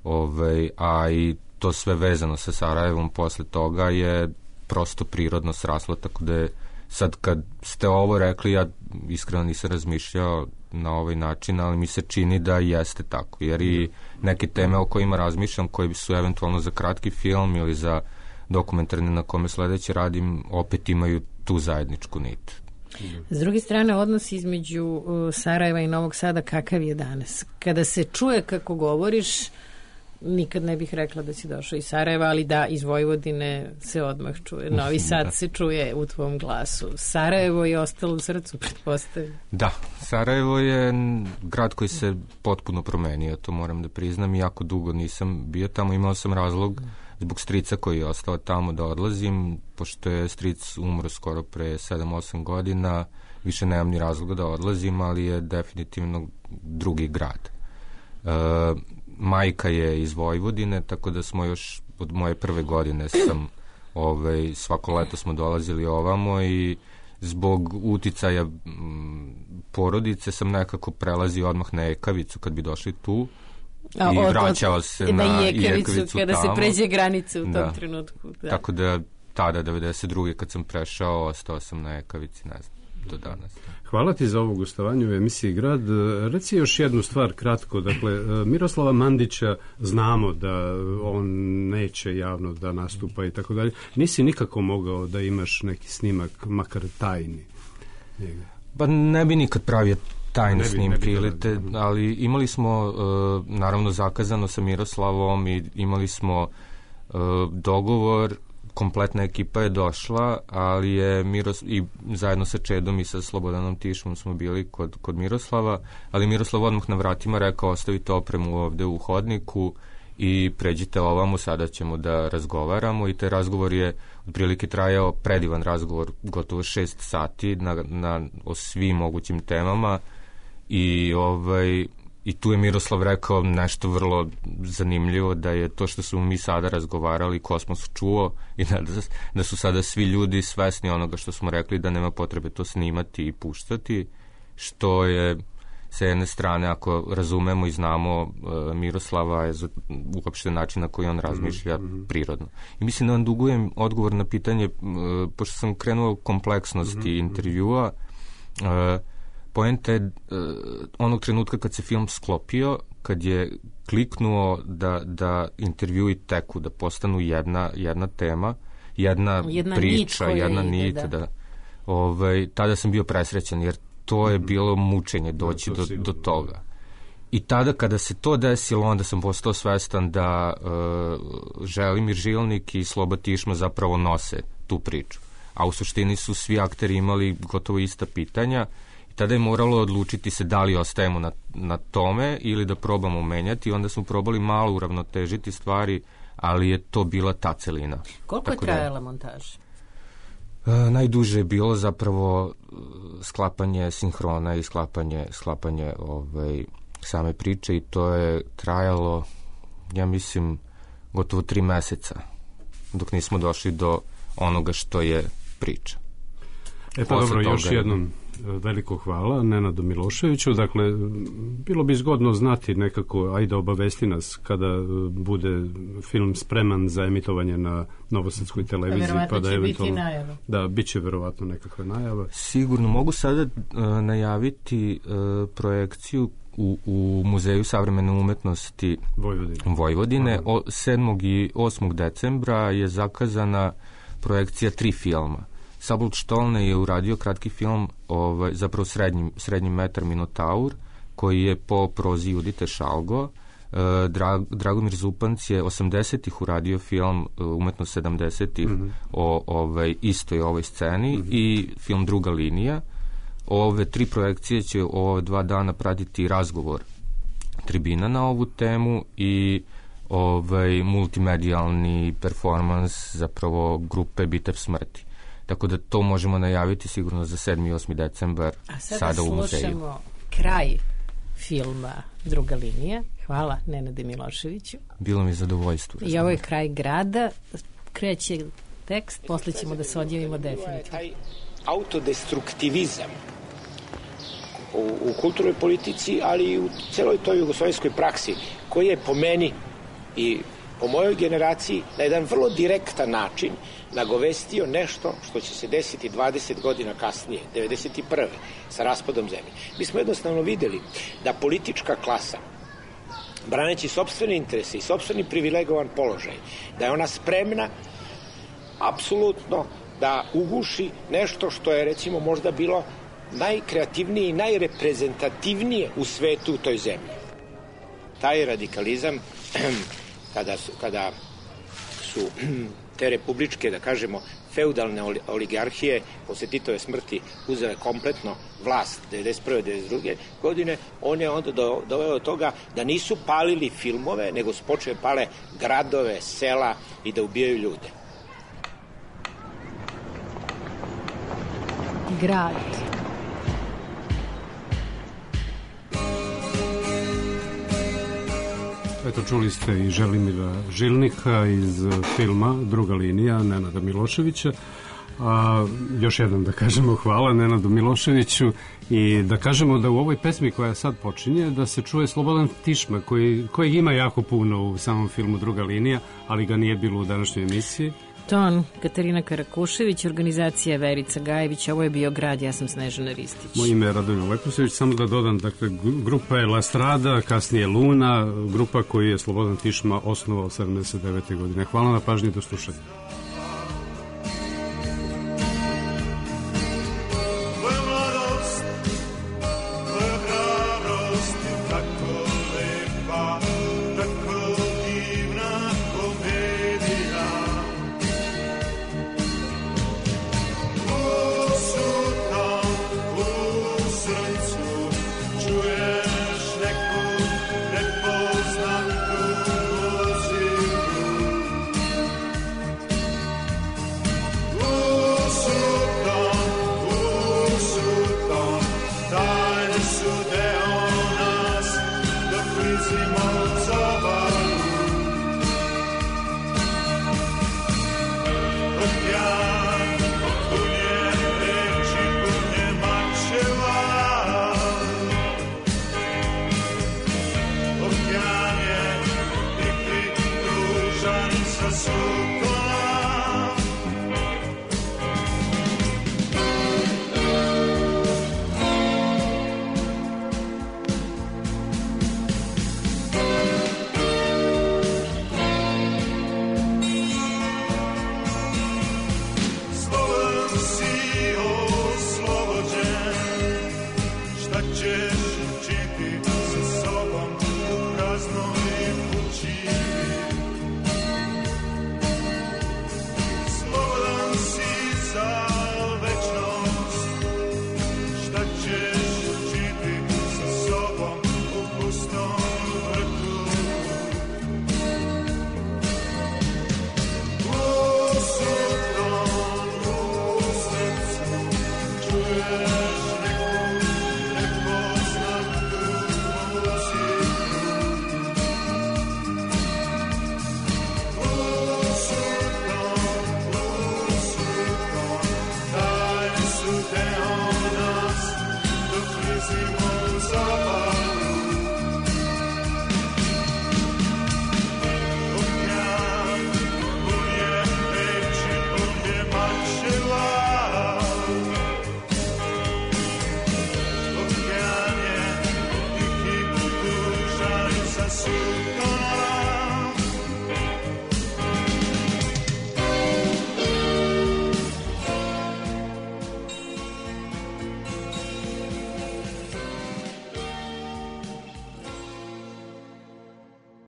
ovaj, a i to sve vezano sa Sarajevom posle toga je prosto prirodno sraslo, tako da je sad kad ste ovo rekli, ja iskreno nisam razmišljao na ovaj način, ali mi se čini da jeste tako, jer i neke teme o kojima razmišljam, koji su eventualno za kratki film ili za dokumentarne na kome sledeće radim, opet imaju tu zajedničku nit. S druge strane, odnos između uh, Sarajeva i Novog Sada kakav je danas? Kada se čuje kako govoriš, nikad ne bih rekla da si došao iz Sarajeva, ali da, iz Vojvodine se odmah čuje. Novi Sad da. se čuje u tvom glasu. Sarajevo je ostalo u srcu, pretpostavljam. Da, Sarajevo je grad koji se potpuno promenio, to moram da priznam. Jako dugo nisam bio tamo, imao sam razlog zbog strica koji je ostao tamo da odlazim, pošto je stric umro skoro pre sedam osam godina, više nemam ni razloga da odlazim, ali je definitivno drugi grad. E, majka je iz Vojvodine, tako da smo još od moje prve godine sam, ovaj, svako leto smo dolazili ovamo i zbog uticaja m, porodice sam nekako prelazio odmah na Ekavicu kad bi došli tu. A, i od, vraćao od, se na Jekavicu, Jekavicu kada tamo. se pređe granice u tom da. trenutku. Da. Tako da tada, devedeset druge kad sam prešao, ostao sam na Jekavici, ne znam, do danas. Hvala ti za ovo gostovanje u emisiji Grad. Reci još jednu stvar kratko. Dakle, Miroslava Mandića znamo da on neće javno da nastupa i tako dalje. Nisi nikako mogao da imaš neki snimak, makar tajni njega? Pa ne bi nikad pravio tajne snimke, ili te, da. ali imali smo uh, naravno zakazano sa Miroslavom i imali smo uh, dogovor, kompletna ekipa je došla, ali je Miros, i zajedno sa Čedom i sa Slobodanom Tišom smo bili kod, kod Miroslava, ali Miroslav odmah na vratima rekao ostavite opremu ovde u hodniku i pređite ovamo, sada ćemo da razgovaramo, i taj razgovor je otprilike trajao, predivan razgovor, gotovo šest sati na, na, o svim mogućim temama. I, ovaj, i tu je Miroslav rekao nešto vrlo zanimljivo, da je to što smo mi sada razgovarali, kosmos čuo, i da, da su sada svi ljudi svesni onoga što smo rekli, da nema potrebe to snimati i puštati, što je sa jedne strane, ako razumemo i znamo uh, Miroslava, je uopšte način na koji on razmišlja mm-hmm. prirodno. I mislim da vam dugujem odgovor na pitanje, uh, pošto sam krenuo kompleksnosti mm-hmm. intervjua, uh, poenta je uh, onog trenutka kad se film sklopio, kad je kliknuo da, da intervjui teku, da postanu jedna, jedna tema, jedna, jedna priča, nit jedna ide, nit, da. da. Ovaj, tada sam bio presrećan, jer to je bilo mučenje doći do, do toga. I tada kada se to desilo, onda sam postao svestan da uh, Želimir Žilnik i Sloba Tišma zapravo nose tu priču. A u suštini su svi akteri imali gotovo ista pitanja, i tada je moralo odlučiti se da li ostajemo na, na tome ili da probamo menjati. Onda smo probali malo uravnotežiti stvari, ali je to bila ta celina. Koliko Tako je trajala da, montaža? Uh, najduže je bilo zapravo uh, sklapanje sinhrona i sklapanje, sklapanje ovaj, same priče, i to je trajalo, ja mislim, gotovo tri meseca, dok nismo došli do onoga što je priča. E pa dobro, još jednom veliko hvala Nenadu Miloševiću. Dakle, bilo bi zgodno znati nekako, ajde obavesti nas kada bude film spreman za emitovanje na Novosadskoj televiziji. Verovatno pa da će eventualno, biti najava. Da, bit će verovatno nekakva najava. Sigurno, mogu sada uh, najaviti uh, projekciju u, u Muzeju savremene umetnosti Vojvodine. Vojvodine. O, sedmog i osmog decembra je zakazana projekcija tri filma. Sabult Štolne je uradio kratki film, ovaj, zapravo srednji, srednji metar Minotaur, koji je po prozi Judite Šalgo. E, Drag, Dragomir Zupanc je osamdesetih uradio film Umetnost sedamdesetih mm-hmm. o ovaj, istoj ovoj sceni mm-hmm. i film Druga linija. Ove tri projekcije će ove dva dana pratiti razgovor tribina na ovu temu i ovaj, multimedijalni performans, zapravo grupe Bitev smrti. Tako da to možemo najaviti sigurno za sedmi i osmi decembar sada u muzeju. A sada slušamo kraj filma Druga linija. Hvala Nenade Miloševiću. Bilo mi zadovoljstvo. I ovo je kraj grada. Kreće tekst, posle ćemo da se odjavimo definitivno. Taj autodestruktivizam u, u kulturnoj politici, ali i u celoj toj jugoslovenskoj praksi, koji je po meni i po mojoj generaciji na jedan vrlo direktan način nagovestio nešto što će se desiti dvadeset godina kasnije, devedeset prve sa raspadom zemlje. Mi smo jednostavno videli da politička klasa, braneći sopstvene interese i sopstveni privilegovan položaj, da je ona spremna apsolutno da uguši nešto što je recimo možda bilo najkreativnije i najreprezentativnije u svetu u toj zemlji. Taj radikalizam kada su, kada su te republičke, da kažemo, feudalne oligarhije posle Titove smrti uzele kompletno vlast devedeset prve devedeset druge godine, on je onda do, doveo do toga da nisu palili filmove, nego su počeli pale gradove, sela i da ubijaju ljude. Grad. Eto, čuli ste i Želimira Žilnika iz filma Druga linija Nenada Miloševića. A, još jednom da kažemo hvala Nenadu Miloševiću i da kažemo da u ovoj pesmi koja sad počinje da se čuje Slobodan Tišma koji, koji ima jako puno u samom filmu Druga linija, ali ga nije bilo u današnjoj emisiji. Ton Katarina Karakušević, organizacija Verica Gajević, ovo je bio Grad, ja sam Snežana Ristić. Moje ime je Radomir Leposević, samo da dodam, dakle, grupa je La Strada, kasnije Luna, grupa koju je Slobodan Tišma osnovao sedamdeset devete godine. Hvala na pažnji, do slušanja.